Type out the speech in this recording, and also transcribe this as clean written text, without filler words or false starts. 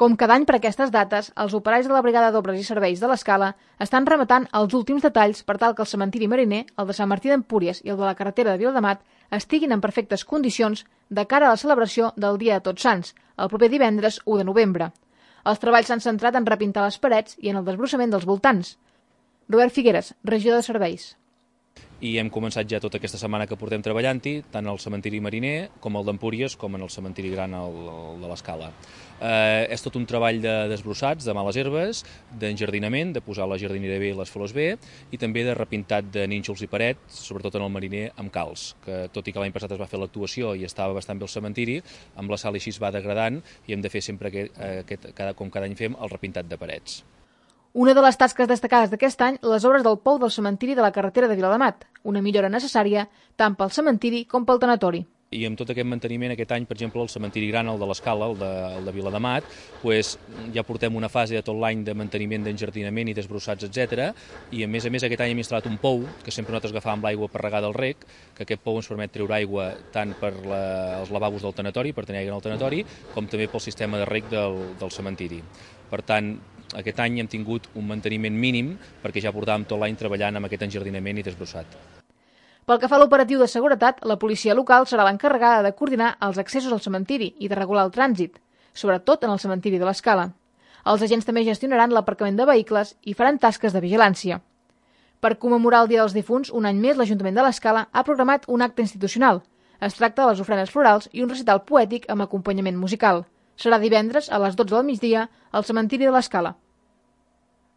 Com cada any per aquestes dates, els operaris de la Brigada d'Obres i Serveis de l'Escala estan rematant els últims detalls per tal que el cementiri mariner, el de Sant Martí d'Empúries i el de la carretera de Viladamat estiguin en perfectes condicions de cara a la celebració del Dia de Tots Sants, el proper divendres 1 de novembre. Els treballs s'han centrat en repintar les parets i en el desbrossament dels voltants. Robert Figueres, regidor de Serveis. I hem començat ja tota aquesta setmana que portem treballant-hi, tant al cementiri mariner com el d'Empúries com en el cementiri gran de l'Escala. És tot un treball de desbrossats, de males herbes, d'enjardinament, de posar la jardinera bé i les flors bé, i també de repintat de nínxols i parets, sobretot en el mariner, amb calç, que tot i que l'any passat es va fer l'actuació i estava bastant bé el cementiri, amb la sal així es va degradant i hem de fer sempre, com cada any fem, el repintat de parets. Una de les tasques destacades d'aquest any, les obres del pou del cementiri de la carretera de Viladamat, una millora necessària tant pel cementiri com pel tanatori. I amb tot aquest manteniment, aquest any, per exemple, el cementiri gran, el de l'Escala, el de Viladamat, ja portem una fase de tot l'any de manteniment, d'enjardinament i desbrossats, etc. I a més aquest any hem instal·lat un pou, que sempre nosaltres agafàvem l'aigua per regar del rec, que aquest pou ens permet treure aigua tant per els lavabos del tanatori, per tenir aigua en el tanatori, com també pel sistema de rec del cementiri. Per tant, aquest any hem tingut un manteniment mínim perquè ja portàvem tot l'any treballant amb aquest enjardinament i desbrossat. Pel que fa a l'operatiu de seguretat, la policia local serà l'encarregada de coordinar els accessos al cementiri i de regular el trànsit, sobretot en el cementiri de l'Escala. Els agents també gestionaran l'aparcament de vehicles i faran tasques de vigilància. Per commemorar el Dia dels Difunts, un any més l'Ajuntament de l'Escala ha programat un acte institucional. Es tracta de les ofrenes florals i un recital poètic amb acompanyament musical. Serà divendres a les 12 del migdia al cementiri de l'Escala.